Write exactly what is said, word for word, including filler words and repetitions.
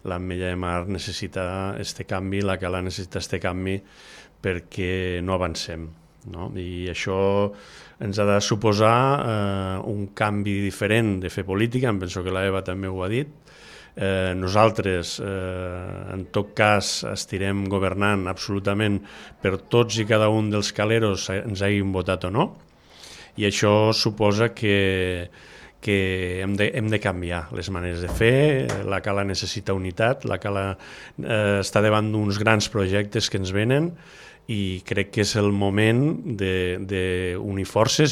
l'Ametlla de Mar necessita este canvi, la Cala necessita este canvi perquè no avancem, no? I això ens ha de suposar eh, un canvi diferent de fer política, em penso que l'Eva també ho ha dit. Eh, nosaltres, eh, en tot cas, estirem governant absolutament per tots i cada un dels caleros, ens hagin votat o no, i això suposa que, que hem, de, hem de canviar les maneres de fer. La Cala necessita unitat, la Cala eh, està davant d'uns grans projectes que ens venen, i crec que és el moment d'unir forces